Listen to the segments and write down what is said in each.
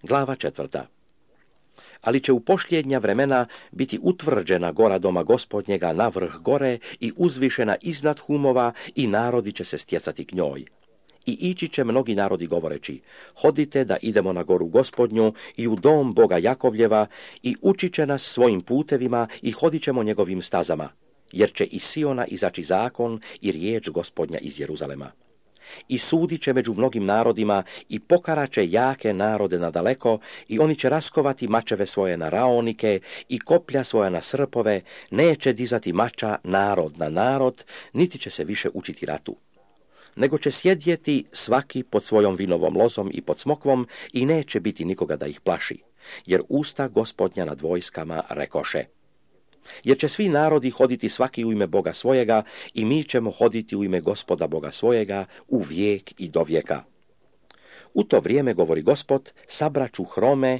Glava 4. Ali će u posljednja vremena biti utvrđena gora doma Gospodnjega na vrh gore i uzvišena iznad humova i narodi će se stjecati k njoj. I ići će mnogi narodi govoreći, hodite da idemo na goru Gospodnju i u dom Boga Jakovljeva i učit će nas svojim putevima i hodit ćemo njegovim stazama, jer će iz Siona izaći zakon i riječ Gospodnja iz Jeruzalema. I sudit će među mnogim narodima i pokaraće jake narode nadaleko i oni će raskovati mačeve svoje na raonike i koplja svoja na srpove, neće dizati mača narod na narod, niti će se više učiti ratu. Nego će sjedjeti svaki pod svojom vinovom lozom i pod smokvom i neće biti nikoga da ih plaši, jer usta Gospodnja nad vojskama rekoše. Jer će svi narodi hoditi svaki u ime Boga svojega i mi ćemo hoditi u ime Gospoda Boga svojega u vijek i do vijeka. U to vrijeme, govori Gospod, sabraću hrome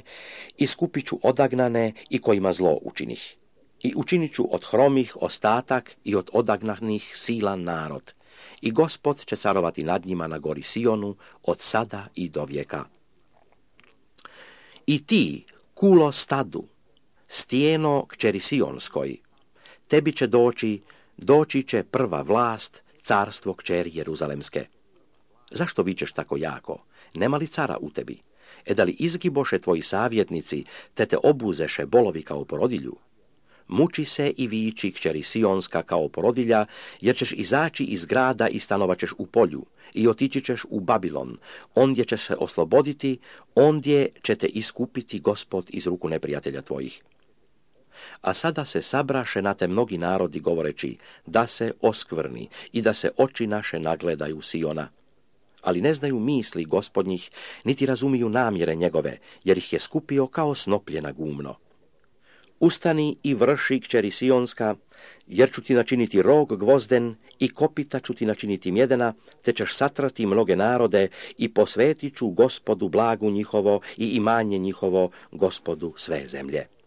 i skupit ću odagnane i kojima zlo učinih. I učinit ću od hromih ostatak i od odagnanih silan narod. I Gospod će carovati nad njima na gori Sionu od sada i do vijeka. I ti, kulo stadu, stijeno kćeri Sionskoj, tebi će doći će prva vlast, carstvo kćeri Jeruzalemske. Zašto vičeš tako jako? Nema li cara u tebi? Da li izgiboše tvoji savjetnici, te obuzeše bolovi kao porodilju? Muči se i viči kćeri Sionska kao porodilja, jer ćeš izaći iz grada i stanovat ćeš u polju, i otići ćeš u Babilon, ondje ćeš se osloboditi, ondje će te iskupiti Gospod iz ruku neprijatelja tvojih. A sada se sabraše na te mnogi narodi govoreći, da se oskvrni i da se oči naše nagledaju Siona. Ali ne znaju misli Gospodnjih, niti razumiju namjere njegove, jer ih je skupio kao snoplje na gumno. Ustani i vrši kćeri Sionska, jer ću ti načiniti rog gvozden i kopita ću ti načiniti mjedena, te ćeš satrati mnoge narode i posvetit ću Gospodu blagu njihovo i imanje njihovo, Gospodu sve zemlje.